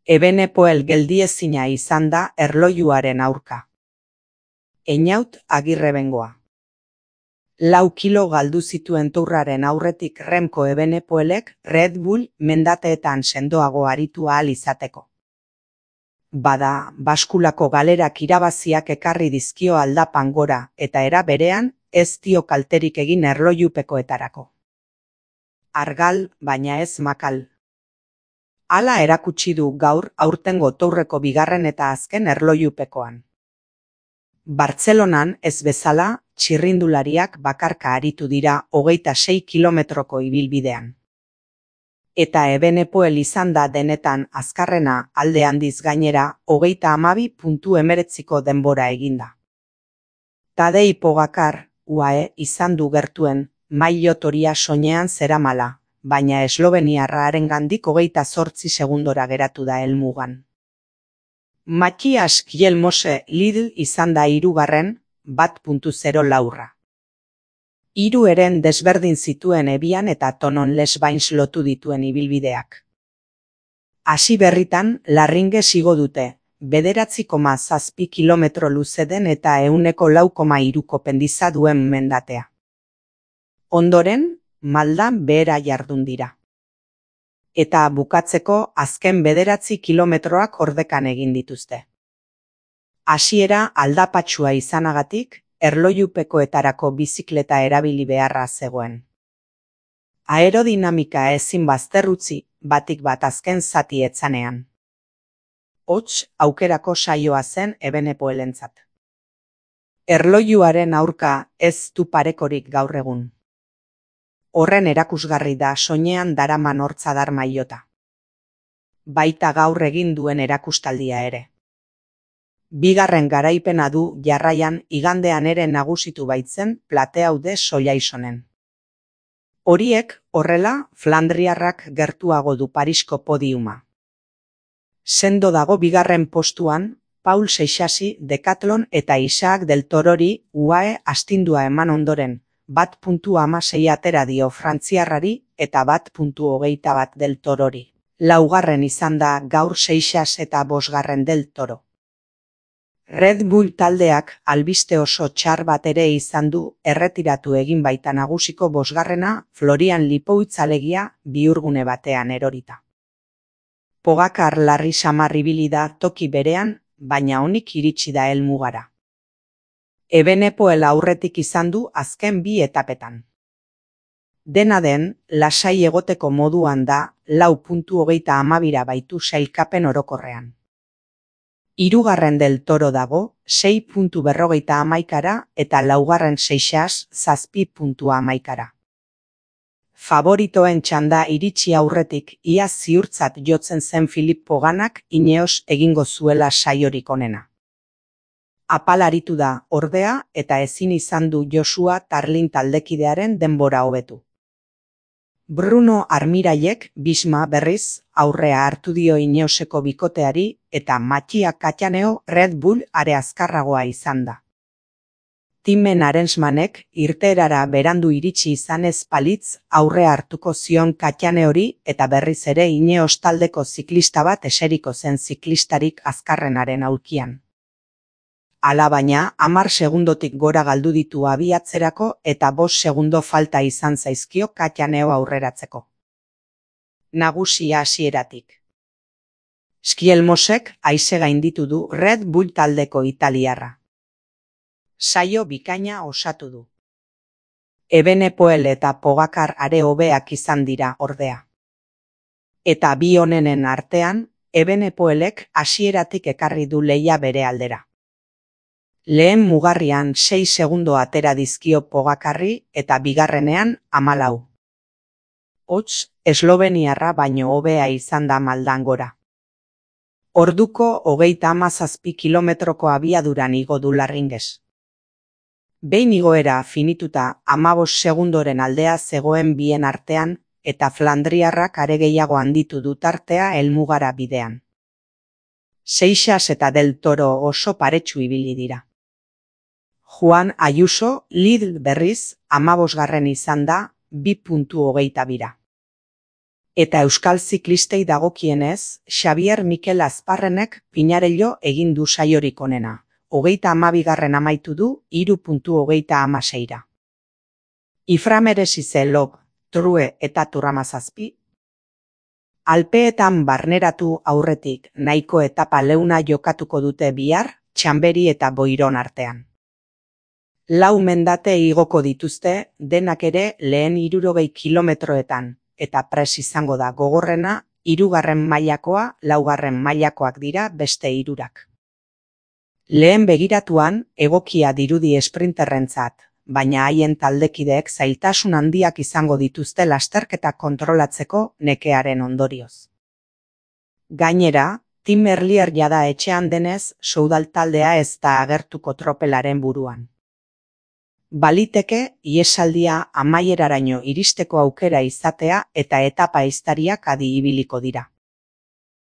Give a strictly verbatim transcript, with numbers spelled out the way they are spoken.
Ebenepoel geldiezina izan da erlojuaren aurka. Einaut Agirrebengoa. Lau kilo galdu zituen tourraren aurretik Remco Ebenepoelek Red Bull mendateetan sendoago aritu ahal izateko. Bada, baskulako galerak irabaziak ekarri dizkio aldapan gora eta era berean ez dio kalterik egin erlojupekoetarako. Argal, baina ez makal. Hala erakutsi du gaur aurtengo tourreko bigarren eta azken erlojupekoan. Bartzelonan ez bezala, txirrindulariak bakarka aritu dira hogeita sei kilometroko ibilbidean. Eta Ebenepoel izan da denetan azkarrena alde handiz gainera hogeita hamabi puntu hemeretziko denbora eginda. Tadej Pogačar, U A E izan du gertuen, maillot horia soinean zeramala, baina esloveniarra harengandik hogeita zortzi segundora geratu da helmugan. Matthias Kjelmose Lidl izan da hirugarren, bat puntu zero laurra. Hiru eren desberdin zituen Ebian eta Tonon Les Bains lotu dituen ibilbideak. Hasi berritan, Larringes igo dute, bederatzi koma zazpi kilometro luze den eta ehuneko lau koma hiruko pendiza duen mendatea. Ondoren, maldan behera jardun dira. Eta bukatzeko azken bederatzi kilometroak ordekan egin dituzte. Hasiera aldapatsua izanagatik, erlojupekoetarako bizikleta erabili beharra zegoen. Aerodinamika ezin bazterrutzi, batik bat azken zati etzanean. Hots, aukerako saioa zen Ebenepoelentzat. Erlojuaren aurka ez du parekorik gaur egun. Horren erakusgarri da soinean daraman hortzadar maillota. Baita gaur egin duen erakustaldia ere. Bigarren garaipena du jarraian igandean ere nagusitu baitzen Plateaude Sollaisonen. Horiek, horrela, Flandriarrak gertuago du Parisko podiuma. Sendo dago bigarren postuan, Paul Seixasi Decathlon eta Isaac del Torori U A E astindua eman ondoren, bat puntu hamasei atera dio frantziarrari eta bat puntu hogeita bat del Torori. Laugarren izan da gaur Seixas eta bosgarren del Toro. Red Bull taldeak albiste oso txar bat ere izan du erretiratu egin baita nagusiko bosgarrena Florian Lipoutz alegia bihurgune batean erorita. Pogačar larri samar ibili da toki berean, baina onik iritsi da helmugara. Ebenepoel aurretik izan du azken bi etapetan. Dena den, lasai egoteko moduan da lau puntu hogeita hamabira baitu sailkapen orokorrean. Hirugarren del Toro dago, sei puntu berrogeita hamaikara eta laugarren Seixas zazpi puntu hamaikara. Favoritoen txanda iritsi aurretik ia ziurtzat jotzen zen Filip Poganak Ineos egingo zuela saiorik onena. Apalaritu da, ordea, eta ezin izan du Joshua Tarlin taldekidearen denbora hobetu. Bruno Armiraiek Bisma berriz aurrea hartu dio Ineoseko bikoteari eta Mattia Cattaneo Red Bull are azkarragoa izan da. Timen Arensmanek irteerara berandu iritsi izanez palitz aurrea hartuko zion Cattaneori eta berriz ere Ineos taldeko ziklista bat eseriko zen ziklistarik azkarrenaren aulkian. Hala baina, hamar segundotik gora galdu ditu abiatzerako eta bost segundo falta izan zaizkio Cattaneo aurreratzeko. Nagusia hasieratik. Kjelmosek haize gainditu du Red Bull taldeko italiarra. Saio bikaina osatu du. Ebenepoel eta Pogačar are hobeak izan dira ordea. Eta bi honenen artean, Ebenepoelek hasieratik ekarri du lehia bere aldera. Lehen mugarrian sei segundo atera dizkio Pogačarri eta bigarrenean hamalau. Hots, esloveniarra baino hobea izan da maldan gora. Orduko hogeita hamazazpi kilometroko abiaduran igo du Larringes. Behin igoera finituta hamabost segundoren aldea zegoen bien artean eta Flandriarrak are gehiago handitu du tartea helmugara bidean. Seixas eta del Toro oso paretsu ibili dira. Juan Ayuso Lidl berriz hamabosgarren izan da bi puntu hogeita bira. Eta euskal ziklistei dagokienez, Xabier Mikel Azparrenek Pinarello egin du saiorik onena. Hogeita hamabigarren amaitu du, hiru puntu hogeita hamaseira. Iframeresize Lob, True eta Turramazazpi. Alpeetan barneratu aurretik nahiko etapa leuna jokatuko dute bihar, Txanberi eta Boiron artean. Lau mendate igoko dituzte, denak ere lehen hirurogei kilometroetan, eta pres izango da gogorrena, hirugarren mailakoa, laugarren mailakoak dira beste hirurak. Lehen begiratuan, egokia dirudi esprinterrentzat, baina haien taldekideek zailtasun handiak izango dituzte lasterketa kontrolatzeko nekearen ondorioz. Gainera, Tim Merlier jada etxean denez, soudal taldea ez da agertuko tropelaren buruan. Baliteke, ihesaldia amaieraraino iristeko aukera izatea eta etapa ehiztariak adi ibiliko dira.